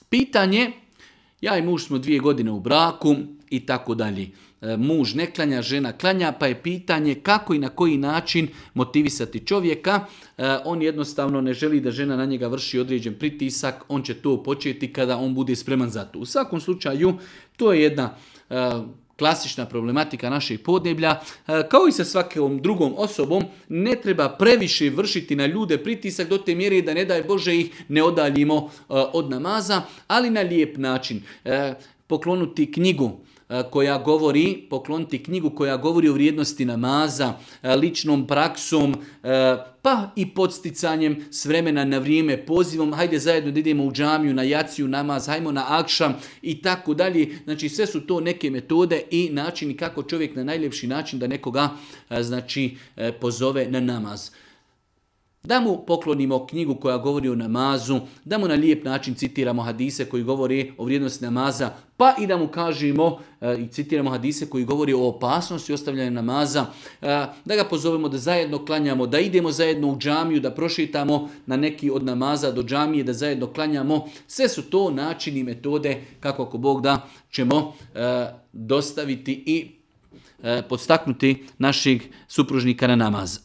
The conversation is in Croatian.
Pitanje, ja i muž smo 2 godine u braku i tako dalje. Muž ne klanja, žena klanja, pa je pitanje kako i na koji način motivisati čovjeka. On jednostavno ne želi da žena na njega vrši određen pritisak, on će to početi kada on bude spreman za to. U svakom slučaju, to je jedna klasična problematika našeg podneblja. Kao i sa svakom drugom osobom, ne treba previše vršiti na ljude pritisak do te mjere da ne daj Bože ih ne odaljimo od namaza, ali na lijep način. Pokloniti knjigu koja govori o vrijednosti namaza, ličnom praksom, pa i podsticanjem s vremena na vrijeme, pozivom, hajde zajedno da idemo u džamiju, na jaciju namaz, hajmo na akšam i tako dalje. Znači sve su to neke metode i načini kako čovjek na najljepši način da nekoga pozove na namaz. Da mu poklonimo knjigu koja govori o namazu, da mu na lijep način citiramo hadise koji govori o vrijednosti namaza, pa i da mu kažemo i citiramo hadise koji govori o opasnosti ostavljanja namaza, da ga pozovemo da zajedno klanjamo, da idemo zajedno u džamiju, da prošetamo na neki od namaza do džamije, da zajedno klanjamo. Sve su to načini i metode kako ako Bog da ćemo dostaviti i podstaknuti našeg supružnika na namaz.